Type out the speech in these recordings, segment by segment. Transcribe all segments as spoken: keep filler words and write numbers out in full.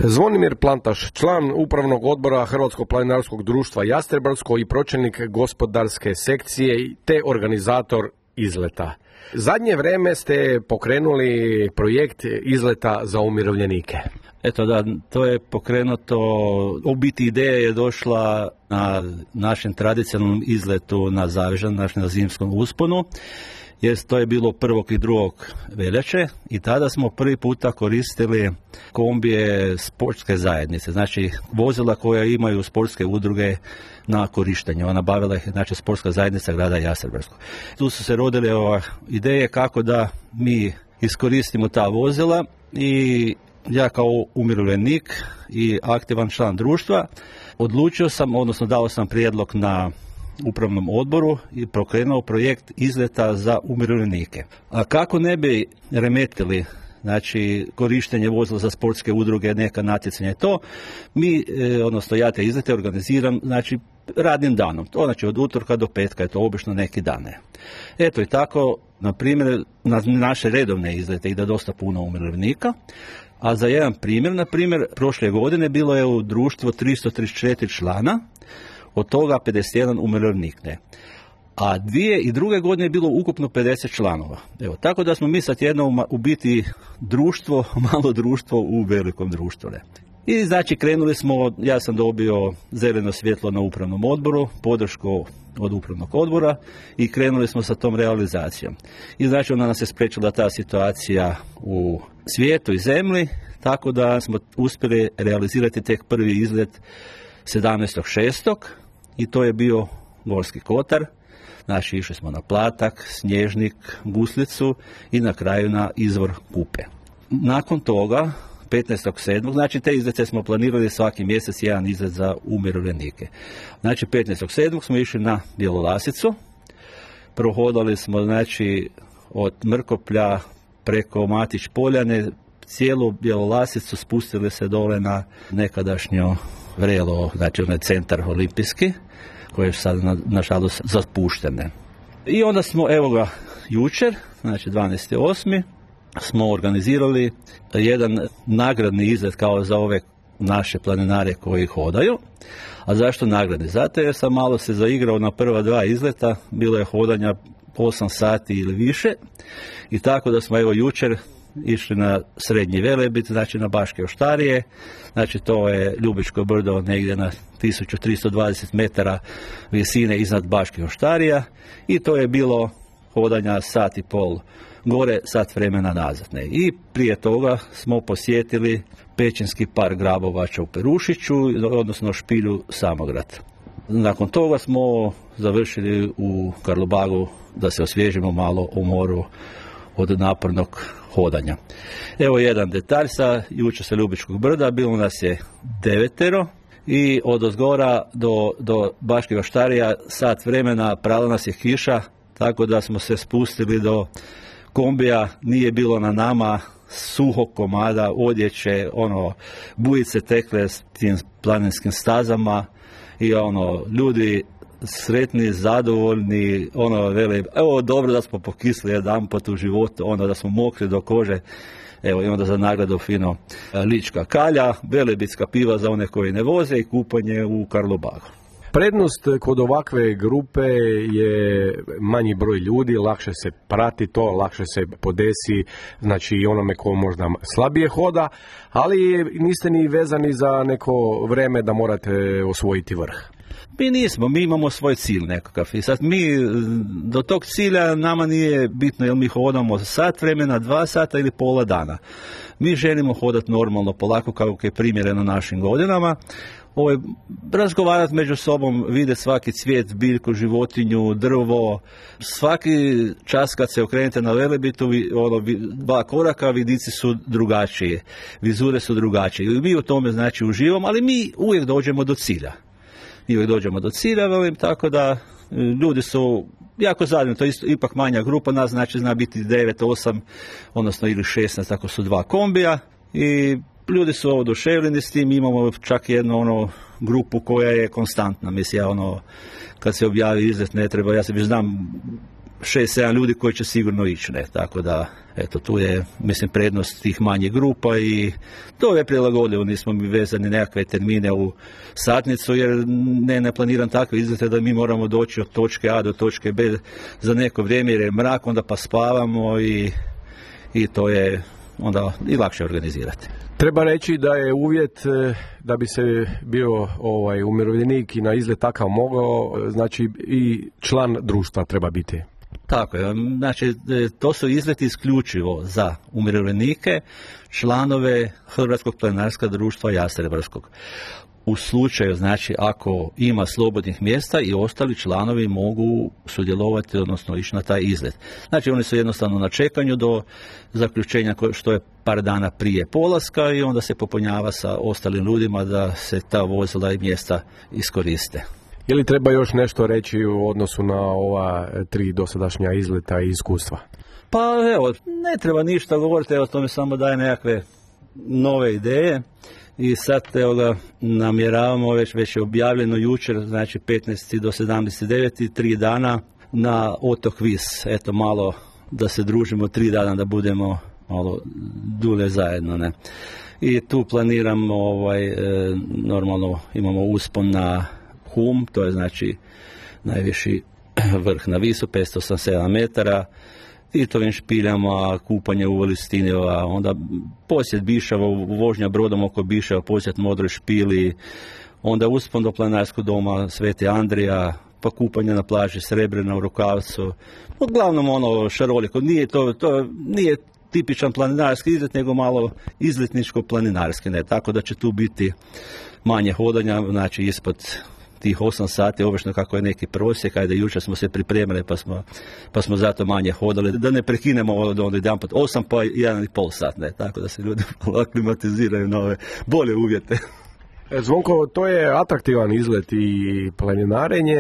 Zvonimir Plantaš, član upravnog odbora Hrvatskog planinarskog društva Jastrebarsko i pročelnik gospodarske sekcije te organizator izleta. Zadnje vrijeme ste pokrenuli projekt izleta za umirovljenike. Eto da, to je pokrenuto, u biti ideja je došla na našem tradicionalnom izletu na Zavežan, naš na zimskom usponu, jer to je bilo prvog i drugog veljače i tada smo prvi puta koristili kombije sportske zajednice, znači vozila koja imaju sportske udruge na korištenje. Ona bavila ih, znači, sportska zajednica grada Jastrebarsko. Tu su se rodile ova ideje kako da mi iskoristimo ta vozila i ja kao umirovljenik i aktivan član društva odlučio sam, odnosno dao sam prijedlog na upravnom odboru i pokrenuo projekt izleta za umirovljenike. A kako ne bi remetili, znači, korištenje vozila za sportske udruge, neka natjecanja i to, mi, odnosno ja te izlete organiziram, znači, radnim danom. To znači od utorka do petka je to obično neki dane. Eto i tako, na primjer, na naše redovne izlete ide dosta puno umirovljenika, a za jedan primjer, na primjer, prošle godine bilo je u društvu tristo trideset četiri člana, od toga pedeset jedan umirovljenik, ne. A dvije i druge godine je bilo ukupno pedeset članova. Evo, tako da smo mi sad jedno u biti društvo, malo društvo u velikom društvu, ne. I znači krenuli smo, ja sam dobio zeleno svjetlo na upravnom odboru, podršku od upravnog odbora i krenuli smo sa tom realizacijom. I znači ona nas je spriječila ta situacija u svijetu i zemlji, tako da smo uspjeli realizirati tek prvi izlet sedamnaestog šestog i to je bio Gorski kotar. Znači išli smo na Platak, Snježnik, Guslicu i na kraju na izvor Kupe. Nakon toga petnaestog sedmog znači te izlete smo planirali svaki mjesec jedan izlet za umirovljenike. Znači petnaestog sedmog smo išli na Bjelolasicu, prohodali smo znači od Mrkoplja preko Matić Poljane, cijelu Bjelolasicu, spustili se dole na nekadašnjo Vrelo, znači onaj centar olimpijski, koji je sad nažalost zapuštene. I onda smo, evo ga, jučer, znači dvanaesti osmi smo organizirali jedan nagradni izlet kao za ove naše planinare koji hodaju. A zašto nagradni? Zato jer sam malo se zaigrao na prva dva izleta, bilo je hodanja osam sati ili više i tako da smo evo jučer išli na Srednji Velebit, znači na Baške Oštarije, znači to je Ljubičko brdo negdje na tisuću tristo dvadeset metara visine iznad Baških Oštarija i to je bilo hodanja sat i pol gore, sat vremena nazad. Ne. I prije toga smo posjetili Pećinski park Grabovača u Perušiću, odnosno Špilju Samograd. Nakon toga smo završili u Karlobagu da se osvježimo malo u moru od napornog hodanja. Evo jedan detalj sa jučer sa Ljubičkog brda, bilo nas je devetero i od ozgora do, do Baških Oštarija sat vremena prala nas je kiša, tako da smo se spustili do kombija, nije bilo na nama suhog komada, odjeće, ono, bujice tekle s tim planinskim stazama i ono, ljudi sretni, zadovoljni, ono, vele, evo dobro da smo pokisli jedan pot u životu, ono da smo mokri do kože, evo i onda za nagradu fino lička kalja, velebitska piva za one koji ne voze i kupanje u Karlobagu. Prednost kod ovakve grupe je manji broj ljudi, lakše se prati to, lakše se podesi, znači i onome ko možda slabije hoda, ali niste ni vezani za neko vreme da morate osvojiti vrh. Mi nismo, mi imamo svoj cilj nekakav i sad mi do tog cilja nama nije bitno jel mi hodamo sat vremena, dva sata ili pola dana. Mi želimo hodati normalno, polako kako je primjereno našim godinama, Ovo, razgovarati među sobom, vidjeti svaki cvijet, biljku, životinju, drvo, svaki čas kad se okrenete na Velebitu, ono, dva koraka, vidici su drugačije, vizure su drugačije. I mi u tome znači uživamo, ali mi uvijek dođemo do cilja. Mi uvijek dođemo do cilja, velim, tako da ljudi su jako zadovoljni, to je isto, ipak manja grupa, nas znači zna biti devet, osam, odnosno ili šesnaest, tako su dva kombija i ljudi su oduševljeni s tim, imamo čak jednu ono grupu koja je konstantna, mislim ja ono, kad se objavi izlet ne treba, ja se već znam šest sedam ljudi koji će sigurno ići, ne, tako da eto, tu je, mislim, prednost tih manjih grupa i to je prilagodljivo, nismo mi vezani nekakve termine u satnicu, jer ne, ne planiram takve izlete da mi moramo doći od točke A do točke B za neko vrijeme jer je mrak, onda pa spavamo i, i to je onda i lakše organizirati. Treba reći da je uvjet da bi se bio ovaj umirovljenik i na izlet takav mogao, znači i član društva treba biti. Tako je, znači to su izleti isključivo za umirovljenike, članove Hrvatskog planinarskog društva Jastrebarskog. U slučaju, znači, ako ima slobodnih mjesta i ostali članovi mogu sudjelovati, odnosno ići na taj izlet. Znači, oni su jednostavno na čekanju do zaključenja što je par dana prije polaska i onda se popunjava sa ostalim ljudima da se ta vozila i mjesta iskoriste. Je li treba još nešto reći u odnosu na ova tri dosadašnja izleta i iskustva? Pa evo, ne treba ništa govoriti, evo to mi samo daje nekakve nove ideje. I sad evo ga namjeravamo, već, već je objavljeno jučer, znači petnaesti do sedamnaesti deveti tri dana na otok Vis. Eto malo da se družimo tri dana, da budemo malo dulje zajedno. Ne? I tu planiramo, ovaj, e, normalno imamo uspon na Hum, to je znači najviši vrh na Visu, petsto osamdeset sedam metara. Titovim špiljama, kupanje u Listinjeva, onda posjet Bišava, vožnja brodom oko Bišava, posjet Modroj špili, onda uspon do planinarskog doma Sveti Andrija, pa kupanje na plaži Srebrena u Rukavcu. Uglavnom ono šaroliko, nije to, to nije tipičan planinarski izlet, nego malo izletničko-planinarski, ne, tako da će tu biti manje hodanja, znači ispod tih osam sati, obično kako je neki prosjek, ajde jučer smo se pripremili pa smo, pa smo zato manje hodali, da ne prekinemo od onda jedan pot osam pa jedan i pol sat, ne, tako da se ljudi aklimatiziraju na ove bolje uvjete. Zvonko, to je atraktivan izlet i planinarenje,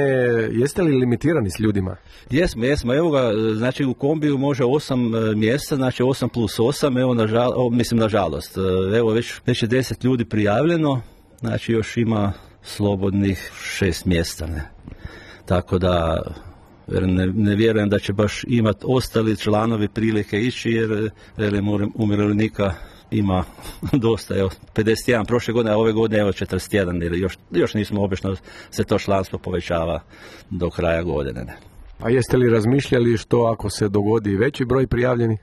jeste li limitirani s ljudima? Jesmo, jesmo, evo ga, znači u kombiju može osam mjesta, znači osam plus osam, evo nažal, o, mislim nažalost, evo već, već je deset ljudi prijavljeno, znači još ima slobodnih šest mjesta, ne. Tako da ne, ne vjerujem da će baš imati ostali članovi prilike ići, jer velim, umirovljenika ima dosta, evo, pedeset jedan prošle godine, a ove godine evo četrdeset jedan, jer još, još nismo, obično se to članstvo povećava do kraja godine. Ne. A jeste li razmišljali što ako se dogodi veći broj prijavljenih?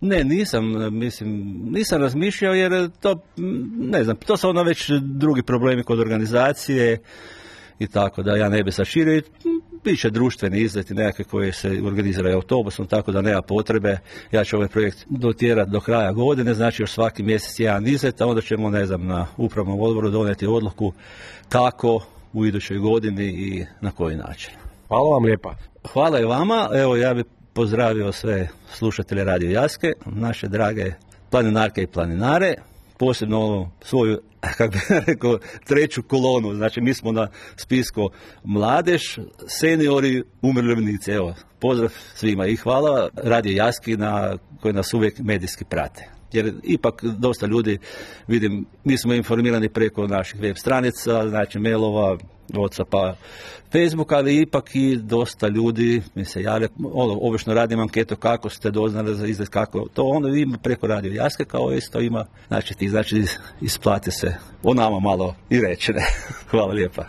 Ne, nisam, mislim, nisam razmišljao jer to, ne znam, to su ono već drugi problemi kod organizacije i tako da ja ne bi saširio. Biće društveni izleti nekakve koje se organiziraju autobusom, tako da nema potrebe. Ja ću ovaj projekt dotjerati do kraja godine, znači još svaki mjesec jedan izlet, a onda ćemo, ne znam, na upravnom odboru donijeti odluku kako u idućoj godini i na koji način. Hvala vam lijepa. Hvala i vama, evo ja bih pozdravio sve slušatelje Radio Jaske, naše drage planinarke i planinare, posebno ono svoju, kako bih rekao, treću kolonu, znači mi smo na spisku mladež, seniori, umirovljenici, evo, pozdrav svima i hvala Radio Jaski na, koji nas uvijek medijski prate. Jer ipak dosta ljudi, vidim, mi smo informirani preko naših web stranica, znači mailova, Whatsappa, Facebooka, ali ipak i dosta ljudi mi se javlja, ono, obično radim anketu kako ste doznali za izgled, kako to, onda ima preko Radio Jaske kao isto ima, znači ti, znači isplati se o nama malo i reći, ne. Hvala lijepa.